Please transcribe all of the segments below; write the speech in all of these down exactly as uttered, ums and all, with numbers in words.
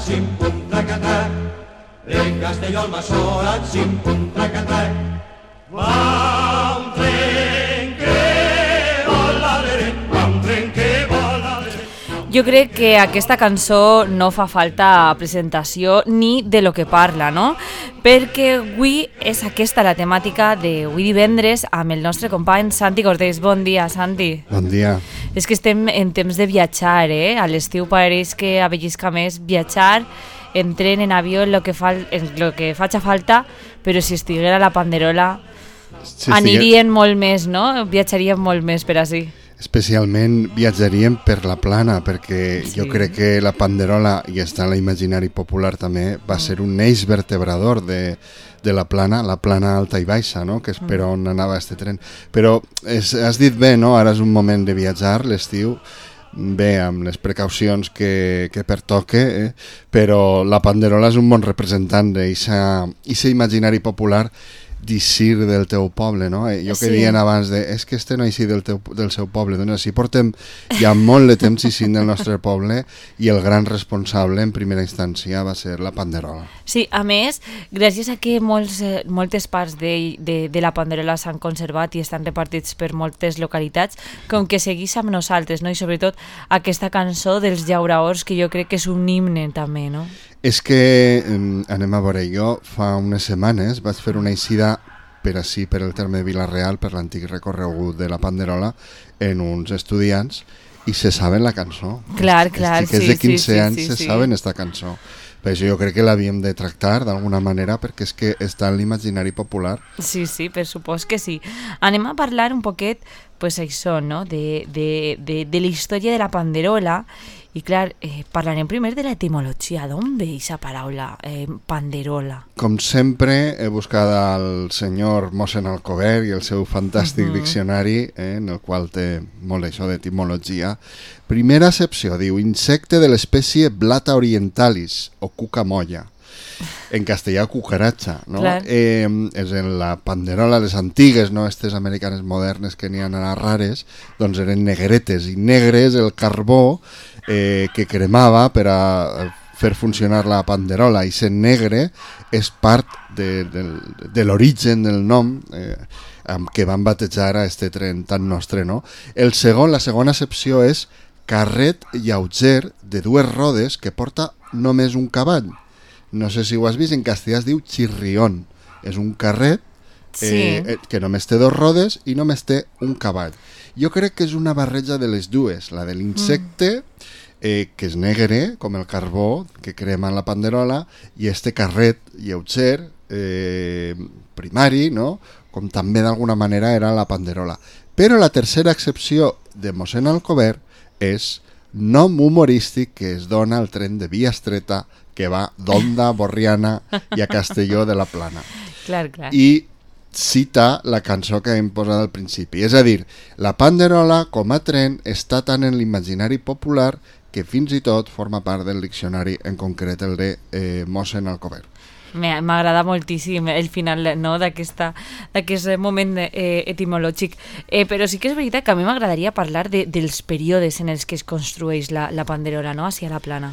xim-pum, traca-trac. De Castelló al Massola, xim-pum, traca-trac. Va un tren que vola, va un tren que vola. Jo crec que aquesta cançó no fa falta presentació ni de lo que parla, no? Perquè avui és aquesta la temàtica d'avui divendres amb el nostre company Santi Cortés. Bon dia, Santi. Bon dia. És que estem en temps de viatjar, eh? A l'estiu pareix que avellisca més viatjar, en tren, en avió, en lo que, fa, en lo que faci falta, però si estiguera la panderola si anirien estigués... molt més, no? Viatjarien molt més per així. Especialment viatjaríem per la plana, perquè sí. Jo crec que la panderola, i està en l'imaginari popular també, va ser un eix vertebrador de, de la plana, la plana alta i baixa, no? Que és per on anava este tren. Però és, has dit bé, no? Ara és un moment de viatjar, l'estiu, bé, amb les precaucions que, que pertoque, eh? Però la panderola és un bon representant d'aquest imaginari popular d'eixir del teu poble, no? Jo que sí. Dient abans de, és que este no eixir del, teu, del seu poble, doncs així portem ja molt de temps eixint del nostre poble i el gran responsable en primera instància va ser la panderola. Sí, a més, gràcies a que molts, moltes parts de, de, de la panderola s'han conservat i estan repartits per moltes localitats, com que seguís amb nosaltres, no? I sobretot aquesta cançó dels llauraors, que jo crec que és un himne també, no? És que, eh, anem a veure, jo fa unes setmanes vaig fer una eixida per així, per el terme de Vila-real, per l'antic recorregut de la panderola, en uns estudiants, i se saben la cançó. Clar, clar, sí. Els de quinze sí, anys sí, sí, se sí. saben esta cançó. Per això jo crec que l'havíem de tractar d'alguna manera, perquè és que està en l'imaginari popular. Sí, sí, per supost que sí. Anem a parlar un poquet, pues això, no?, de, de, de, de la història de la panderola. I clar, eh, parlarem primer de l'etimologia. D'on ve aquesta paraula, eh, panderola? Com sempre, he buscat al senyor Mossen Alcover i el seu fantàstic uh-huh. diccionari, eh, en el qual té molt això d'etimologia. Primera accepció, diu, insecte de l'espècie Blata orientalis, o cucamolla. En castellà, cucaratxa, no? Eh, és en la panderola, les antigues, no? Estes americanes modernes que n'hi ha a rares, doncs eren negretes, i negre és el carbó eh, que cremava per a fer funcionar la panderola, i sent negre és part de, de, de l'origen del nom eh, amb què van batejar a este tren tan nostre, no? El segon, la segona accepció és carret lleuger de dues rodes que porta només un cavall. No sé si ho has vist, en castellà es diu chirrión. És un carret eh, sí. que només té dos rodes i només té un cavall. Jo crec que és una barreja de les dues, la de l'insecte, eh, que és negre, com el carbó que crema en la panderola, i este carret lleuger, eh, primari, no? Com també d'alguna manera era la panderola. Però la tercera excepció de Mossen Alcover és nom humorístic que es dona al tren de via estreta que va d'Onda, Borriana i a Castelló de la Plana. Clar, clar. I cita la cançó que hem posat al principi. És a dir, la panderola com a tren està tant en l'imaginari popular que fins i tot forma part del diccionari, en concret el de eh, Mossen Alcover. M'agrada moltíssim el final, no?, d'aquesta, d'aquest moment eh, etimològic. Eh, però sí que és veritat que a mi m'agradaria parlar de, dels períodes en els que es construeix la, la panderola, no?, hacia la plana.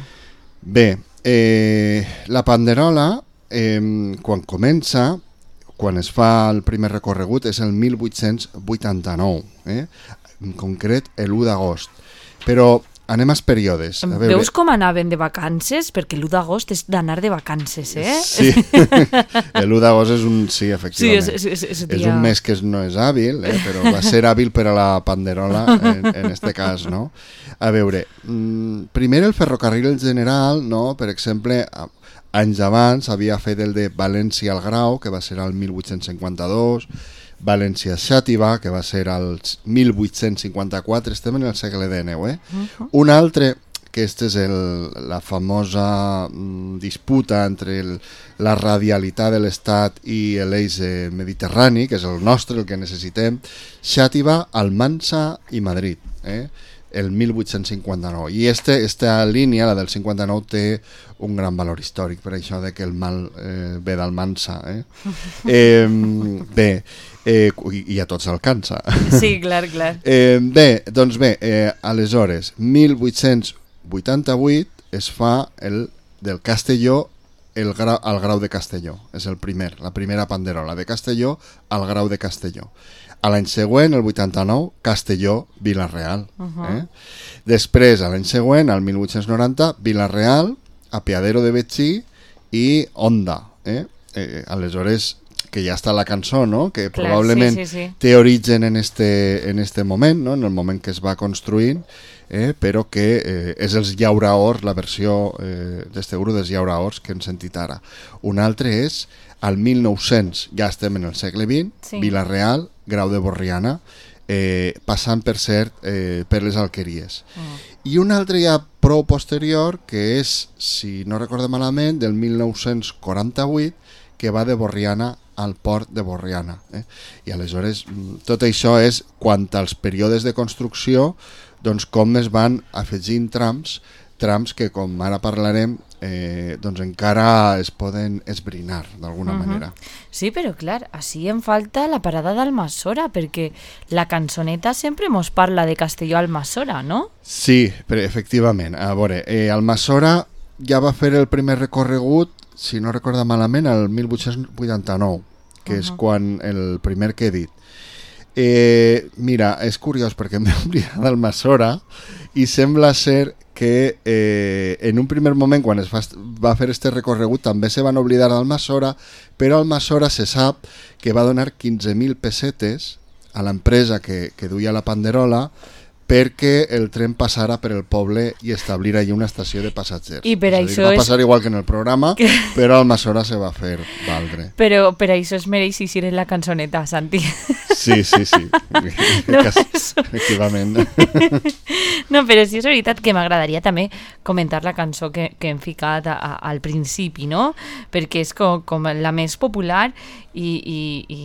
Bé, eh, la panderola, eh, quan comença, quan es fa el primer recorregut, és el mil vuit-cents vuitanta-nou, eh? En concret l'u d'agost. Però anem als períodes. A veure... Veus com anaven de vacances? Perquè l'u d'agost és d'anar de vacances, eh? Sí, l'u d'agost és un... Sí, efectivament. Sí, és, és, és, és dia... un mes que no és hàbil, eh? Però va ser hàbil per a la panderola, en, en este cas, no? A veure, mmm, primer el ferrocarril general, no? Per exemple, anys abans havia fet el de València al Grau, que va ser el mil vuit-cents cinquanta-dos, València-Xàtiva, que va ser el mil vuit-cents cinquanta-quatre, estem en el segle dinou, eh? Uh-huh. Un altre, que este és el, la famosa mm, disputa entre el, la radialitat de l'Estat i l'eix eh, mediterrani, que és el nostre, el que necessitem, Xàtiva, Almansa i Madrid, eh? El mil vuit-cents cinquanta-nou. I este, esta línia, la del cinquanta-nou, té un gran valor històric, per això de que el mal eh, ve d'Almansa. Eh? eh, bé, eh, i, i a tots alcança. Sí, clar, clar. Eh, bé, doncs bé, eh, aleshores, mil vuit-cents vuitanta-vuit es fa el del Castelló el gra, al Grau de Castelló. És el primer, la primera panderola de Castelló al Grau de Castelló. A l'any següent, el vuitanta-nou, Castelló, Vila-real. Uh-huh. eh? Després, a l'any següent, al mil vuit-cents noranta, Vila-real, Apeadero de Betxí i Onda. Eh? Eh, aleshores, que ja està la cançó, no? Que Clar, probablement sí, sí, sí. té origen en este, en este moment, no? En el moment que es va construint, eh? Però que eh, és els Llauraors, la versió eh, d'este grup dels Llauraors que hem sentit ara. Un altre és, al mil nou-cents, ja estem en el segle vint, sí. Vila-real, Grau de Borriana, eh, passant per cert eh, per les Alqueries. Mm. I un altre ja prou posterior, que és, si no recordo malament, del mil nou-cents quaranta-vuit, que va de Borriana al port de Borriana. Eh? I aleshores tot això és quant als períodes de construcció, doncs com es van afegint trams, trams que com ara parlarem eh, doncs encara es poden esbrinar d'alguna uh-huh. manera. Sí, però clar, així em falta la parada d'Almassora, perquè la cançoneta sempre mos parla de Castelló a Almassora, no? Sí, però efectivament. A veure, eh, Almassora ja va fer el primer recorregut, si no recordo malament, el mil vuit-cents vuitanta-nou, que uh-huh. és quan el primer que he dit. Eh, mira, és curiós perquè m'he oblidat d'Almassora i sembla ser que eh, en un primer moment, quan es va, va fer este recorregut, també se van oblidar d'Almassora, però Almassora se sap que va donar quinze mil pessetes a l'empresa que, que duia la panderola perquè el tren passara per el poble i establir allí una estació de passatgers. I per això va és... passar igual que en el programa, que... però Almassora se va fer valdre. Però per això es mereix eixir en la cançoneta, Santi. Sí, sí, sí. No, Cas... Efectivament. No, però sí és veritat que m'agradaria també comentar la cançó que, que hem ficat a, a, al principi, no? Perquè és com, com la més popular i, i, i,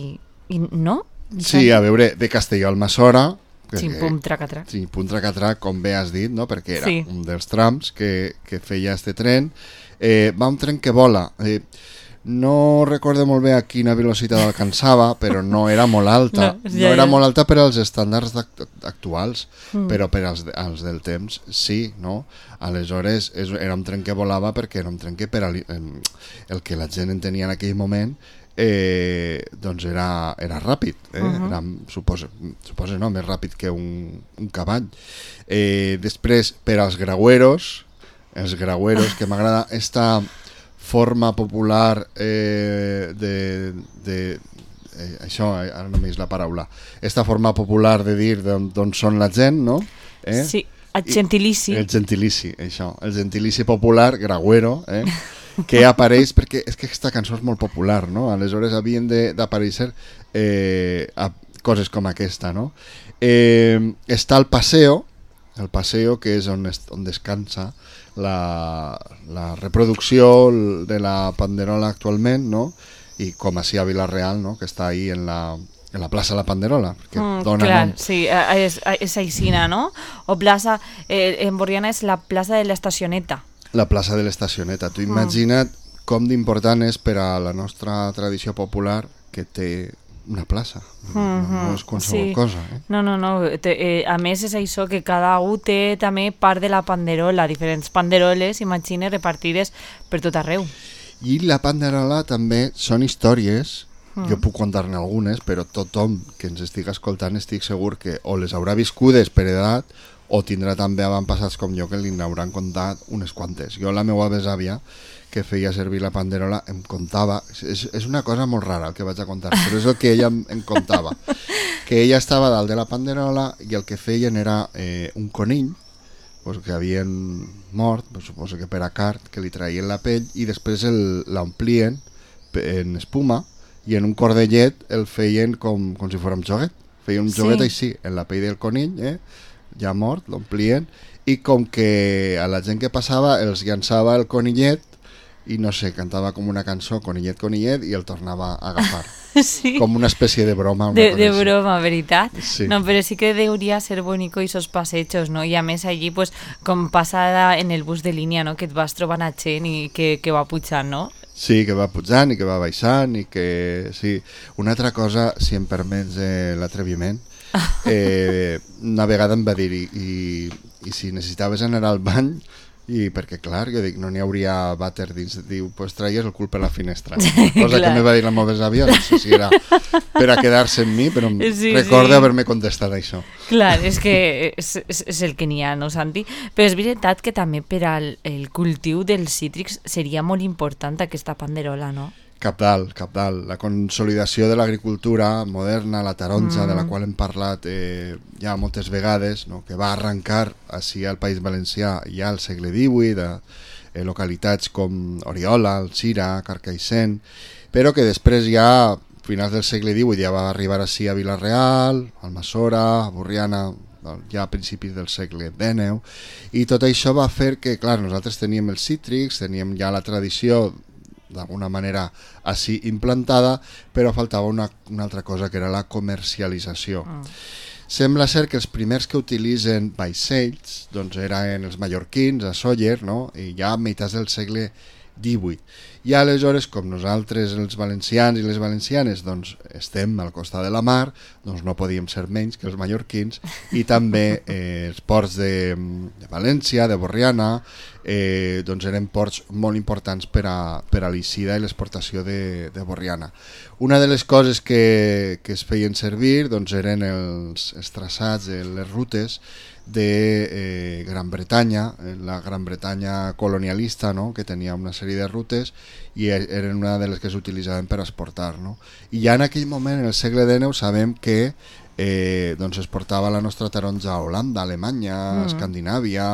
i no? Sí, a veure, de Castelló a Almassora... Sí, pum, traca-trac. Sí, pum, traca-trac, com bé has dit, no? Perquè era sí. un dels trams que, que feia este tren. Eh, va un tren que vola. Eh, no recordo molt bé a quina velocitat alcançava, però no era molt alta. No, ja, no era ja. molt alta per als estàndards actuals, mm. però per als, als del temps sí, no? Aleshores és, era un tren que volava perquè era un tren que per a, el que la gent entenia en aquell moment Eh, doncs era, era ràpid, eh? uh-huh. era, suposa, suposa no, més ràpid que un, un cavall. Eh, després, per als graueros, els graueros, que m'agrada esta forma popular eh, de... de eh, això, ara només la paraula, esta forma popular de dir d'on són la gent, no? Eh? Sí, el gentilici. I, el gentilici, això, el gentilici popular, grauero, eh? que apareix, perquè és que aquesta cançó és molt popular, no? Aleshores havien d'aparèixer eh, a coses com aquesta, no? Eh, està el Paseo, el Paseo, que és on, es, on descansa la, la reproducció de la panderola actualment, no? I com així a Vila-real, no? Que està ahí en la, en la plaça La Panderola. Que mm, dona clar, nom. sí, és, és aixina, no? O plaça, eh, en Borriana és la plaça de l'Estacioneta. La plaça de l'Estacioneta. Tu imagina't mm. com d'important és per a la nostra tradició popular que té una plaça. Mm-hmm. No és qualsevol sí. cosa. Eh? No, no, no. Te, eh, a més és això que cada un té també part de la panderola, diferents panderoles, imagines, repartides per tot arreu. I la panderola també són històries, mm. jo puc contar-ne algunes, però tothom que ens estigui escoltant estic segur que o les haurà viscudes per edat o tindrà també avantpassats com jo que li n'hauran contat unes quantes. Jo, la meva besàvia, que feia servir la panderola, em contava... És, és una cosa molt rara el que vaig a contar, però és el que ella em, em contava. Que ella estava dalt de la panderola i el que feien era eh, un conill, pues, que havien mort, pues, suposo que per a cart, que li traien la pell i després l'omplien en espuma i en un cordellet el feien com, com si fos un joguet. Feien un joguet sí. així, en la pell del conill, eh? ja mort, l'omplien, i com que a la gent que passava els llançava el conillet i no sé, cantava com una cançó, conillet, conillet, i el tornava a agafar. Sí. Com una espècie de broma. Una de, de broma, veritat? Sí. No, però sí que deuria ser bonico esos passejos, no? I a més allí, pues, com passada en el bus de línia, no? Que et vas trobant a gent i que, que va pujant, no? Sí, que va pujant i que va baixant i que... Sí. Una altra cosa, si em permets eh, l'atreviment, eh, una vegada em va dir i, i, i si necessitaves anar al bany I perquè, clar, jo dic, no n'hi hauria vàter dins. Diu, pues traies el cul per la finestra. Cosa que me va dir la meva àvia, no sé si era per a quedar-se amb mi, però sí, recorda sí. haver-me contestat això. Clar, és que és, és, és el que n'hi ha, no, Santi? Però és veritat que també per al el cultiu dels cítrics seria molt important aquesta panderola, no? Cabdal, cabdal. La consolidació de l'agricultura moderna, la taronja, mm. de la qual hem parlat eh, ja moltes vegades, no? Que va arrencar així al País Valencià ja al segle divuit, de eh, localitats com Oriola, Alzira, Carcaixent, però que després ja, a finals del segle divuit, ja va arribar així a Vila-real, Almassora, Borriana, ja a principis del segle dinou, i tot això va fer que, clar, nosaltres teníem els cítrics, teníem ja la tradició d'alguna manera així implantada, però faltava una, una altra cosa, que era la comercialització. Mm. Sembla ser que els primers que utilitzen vaixells doncs eren els mallorquins, a Sóller, no? I ja a meitats del segle divuit. I aleshores, com nosaltres, els valencians i les valencianes, doncs estem al costat de la mar, doncs no podíem ser menys que els mallorquins, i també eh, els ports de, de València, de Borriana, eh, doncs eren ports molt importants per a, per a l'eixida i l'exportació de, de Borriana. Una de les coses que, que es feien servir doncs eren els, els traçats, les rutes de eh, Gran Bretanya, la Gran Bretanya colonialista, no? Que tenia una sèrie de rutes i eren una de les que s'utilitzaven per exportar, no? I ja en aquell moment, en el segle dinou, sabem que eh, doncs es portava la nostra taronja a Holanda, a Alemanya, mm. a Escandinàvia,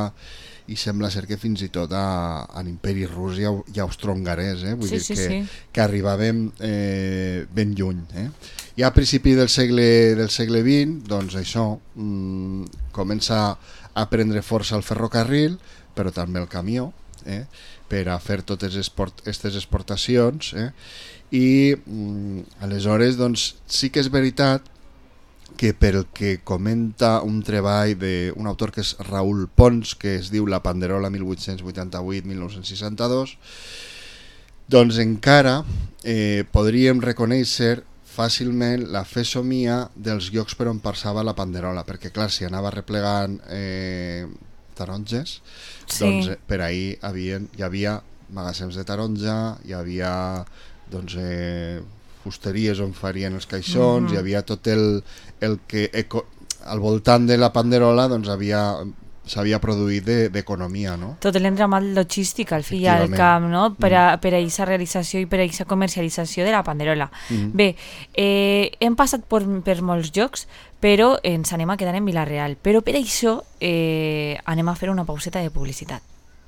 i sembla ser que fins i tot a, a l'imperi rus i, i austro-hongarès, eh? Vull sí, dir sí, que, sí. que arribàvem eh, ben lluny, eh? I a principi del segle, del segle vint, doncs això, mmm, comença a prendre força el ferrocarril, però també el camió, eh, per a fer totes aquestes exportacions, eh, i mmm, aleshores doncs, sí que és veritat que per el que comenta un treball d'un autor que és Raül Pons, que es diu La Panderola mil vuit-cents vuitanta-vuit a mil nou-cents seixanta-dos, doncs encara eh, podríem reconèixer fàcilment la fesomia dels llocs per on passava la panderola, perquè clar, si anava replegant eh, taronges, sí. doncs per ahir havien, hi havia magatzems de taronja, hi havia doncs, eh, fusteries on farien els caixons, mm-hmm. hi havia tot el, el que eco, al voltant de la panderola doncs havia s'havia produït d'economia, no? Tot l'entramat logístic al fill al camp, no? Per a aquesta mm. realització i per a aquesta comercialització de la panderola. Mm. Bé, eh, hem passat per, per molts llocs, però ens anem a quedar en Vila-real. Però per això eh, anem a fer una pauseta de publicitat.